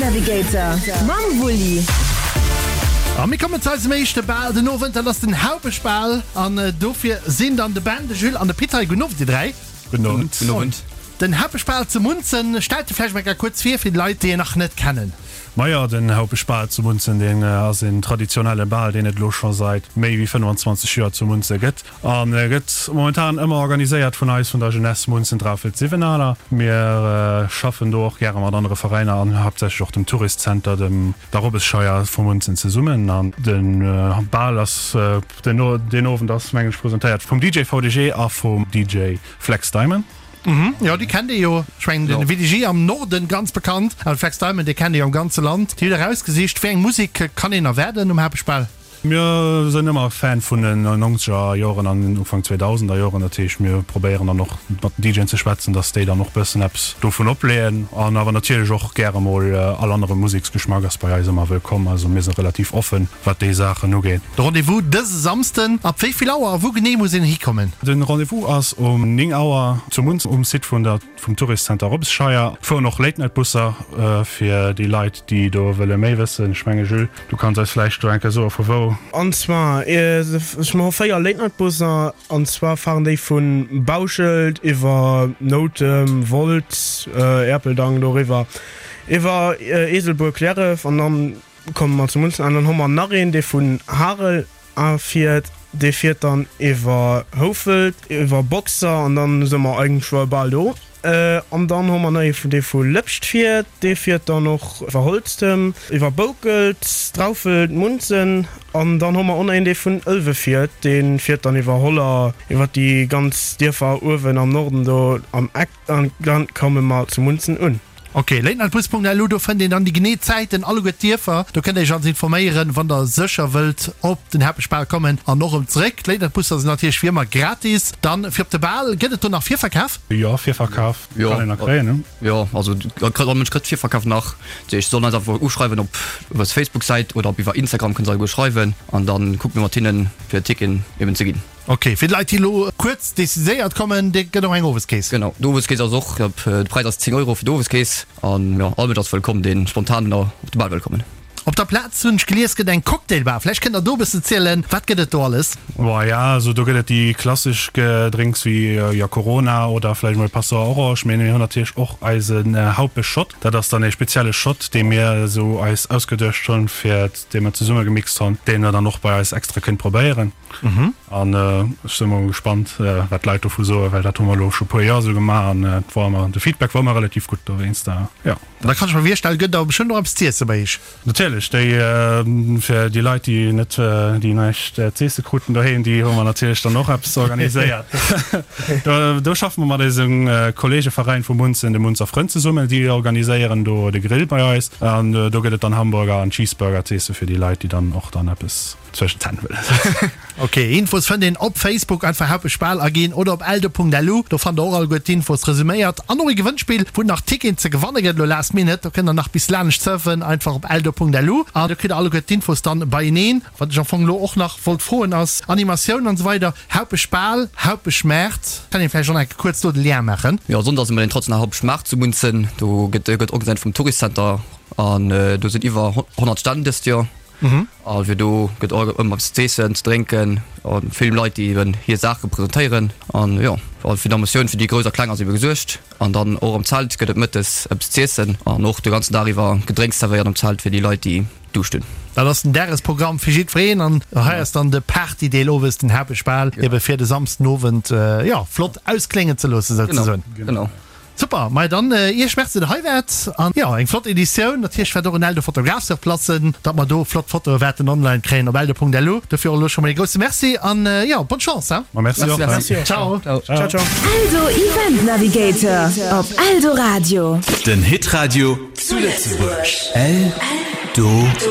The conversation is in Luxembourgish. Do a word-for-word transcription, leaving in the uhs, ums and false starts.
Navigator mam Wulli. A mir kommen zu eisem éischte Bal den Owend, dat ass den Haupeschbal. An dofir sinn dann de Ben, de Jules an de Pit hei. Gudden Owend, dir dräi. Gudden Owend. Gudden Owend. Den Haupeschbal zu Munzen, stellt e vläicht mol kuerz vir fir déi Leit, déi en nach net kennen. Majo, den Haupeschbal zu Munzen, deen ass en traditionelle Bal, deen et elo scho seit méi wéi fënnwanzwanzeg Joer zu Munze gëtt. An e gëtt momentan ëmmer organiséiert vun eis, vun der Jeunesse Munzen Draufelt Siwenaler. Mir schaffen do och gäre mat anere Veräiner an haaptsächlech och dem Tourist Center, dem der Robbesscheier vu Munzen zesummen. An de Bal ass den deen Owend ass mengen ech presentéiert vum D J V D G a vum D J Flex Diamond. Mhm, jo, déi kennt ee jo. Ech mengen den V D G am Norden ganz bekannt, an Flex Diamond, dee kennt ee jo am ganze Land. Dir hutt erausgesicht, wéi eng Musek kann een erwaarden um Haaptspall? Mir sinn ëmmer Fan vun den nonzeger Joren an den Ufank zweedausender Joren. Dat heescht, mir probéieren dann och mat den D J'en ze schwätzen, dass déi dann och bëssen eppes dovun opleeën. An awer natierlech och gäre mol all anere Museksgeschmack ass bei eis ëmmer wëllkomm. Also mir si relativ offen, wat déi Saachen ugeet. De Rendez-vous dëse Samsden, ab wéi vill Auer a wou genee muss een hikommen? Den Rendez-vous ass um néng Auer zu Munzen um Site vun der vum Tourist Center Robbesscheier. Et fueren och Late Night Busser fir déi Leit, déi do wëlle méi wëssen. Ech menge Jules, du kanns eis vläicht do eng Kéier soe vu wou. An zwar, ech hu véier Late Night Busser, an zwar fahren déi vu Bauschelt iwwer Noutem, Wolz, Erpeldang doriwwer iwwer Eeselbuer, Cliärref an dann komme mer zu Munzen an. Dann hu mer nach een, dee vun Harel afiert, dee fiert dann iwwer Houfelt, iwwer Boxer an dann si mer eigentlech bal do. An dann hu mer nach ee vun dee vu Lëpscht fiert, dee fiert dann och iwwer Holztem, iwwer Boukelt, Draufelt, Munzen. An dann hu mer och nach een, dee vun Ëlwe fiert, dee fiert dann iwwer Holler, iwwer déi ganz Dierfer uewen am Norden do am Eck an dann komme mer zu Munzen un. Ok, latenightbus Punkt L U, do fënnt een dann déi genee Zäiten, alleguer d'Dierfer. Do kënnt der iech also informéieren, wann der sécher wëllt op den Haaptbal kommen an och erëm zeréck. D'Late-Night-Busser sinn natierlech wéi ëmmer gratis. Dann fir op de Bal, gëtt et do nach Virverkaf? Jo, Virverkaf kann een nach kréien, ne? Jo, also all Mënsch kritt Virverkaf nach. Dat heescht, se sollen eis einfach uschreiwen op eis Facebook-Säit oder op iwwer Instagram kënne se alleguer schreiwen an dann kucke mir mat hinnen, fir Ticketen eben ze ginn. Ok, fir d'Leit déi elo kuerz decidéiert kommen, dir gëtt och eng Oweskeess? Genau, d'Oweskeess ass och, de Präis ass zéng Euro fir d'Oweskeess an jo, all Mënsch ass wëllkomm, dee spontan op de Bal wëll kommen. Op der Plaz hunn ech gelies gëtt eng Cocktailbar, vläicht kënnt der do e bëssen zielen, wat gëtt et do alles? Boah ja, also do gëtt et déi klassesch Gedrénks wéi jo Corona oder vläicht emol Passoa Orange, mee mir hunn natierlech och eisen Haupeschshot. Dat ass dann ee spezielle Shot, dee mir esou eis ausgeduecht hunn, fir dee mer zesumme gemixt hunn, deen der dann och bei eis extra kënnt probéieren. An ech sinn emol gespannt, wat d'Leit dovu soen, well dat hu mer elo scho puer Joer esou gemaach an et war ëmmer, de Feedback war ëmmer relativ gutt dowéinst, jo. Da kann ech mer virstellen, gëtt et awer bestëmmt och eppes z'iesse bei iech? Natierlech, déi fir déi Leit, déi net, déi näischt z'iesse kruten doheem, déi hu mer natierlech dann och eppes organiséiert. Do, do schaffe mer mat eisem Kolleegeveräin vu Munzen, de Munzer Frënn zesummen, déi organiséieren do de Grill bei eis an do gëtt et dann Hamburger an Cheeseburger z'iesse fir déi Leit, déi dann och dann eppes zwëschen d'Zänn wëllen. Ok, Infos fënnt een op Facebook, einfach Haupeschbal aginn, oder op eldo Punkt L U, do fannt der och alleguer d'Infos resuméiert an och e Gewënnspill, wou et nach Ticketen ze gewanne gëtt, elo last minute, do kënnt der nach bis laanescht surfen, einfach op eldo Punkt L U an do kritt der alleguer d'Infos dann beieneen. Wat ech am Fong elo och nach wollt froen ass, Animatioun an esou weider, Haupeschbal, Haupeschmaart, kann een vläicht och nach eng Kéier kuerz do de Lien maachen? Jo, Sonndes ass ëmmer den traditionelle Haupeschmaart zu Munzen, do gëtt gëtt organiséiert vum Touristcenter an do sinn iwwer honnert Stänn dëst Joer. A fir do gëtt och ëmmer eppes z'eessen, ze drénken a vill Leit, déi eben hir Saache presentéieren. An jo, fir d'Emotioun fir déi Grouss a Kleng ass ebe gesuergt. An dann och am Zelt gëtt et mëttes eppes z'iessen an och de ganzen Dag iwwer Gedrénks zerwéiert am Zelt fir déi Leit, déi Duuscht hunn. Dat ass den Dagesprogramm fir jiddwereen an hei ass dann de Partydeel owes, den Haaptbal, ebe fir de Samsden Owend, jo, flott auskléngen ze loossen souzesoen. Genau. Super, mei dann Iech Merci der hei waart an jo eng flott Editioun. Natierlech waert och en Eldo Fotograf sur place sinn, datt mer do flott Fotoe waerten online kréien op eldo Punkt L U. Dofir och elo scho mol ee grousse Merci an jo bonne Chance hein. Ma merci och. Merci och. Ciao. Ciao ciao. Eldo Event Navigator op Eldoradio. Den Hitradio zu Lëtzebuerg. Eldoradio.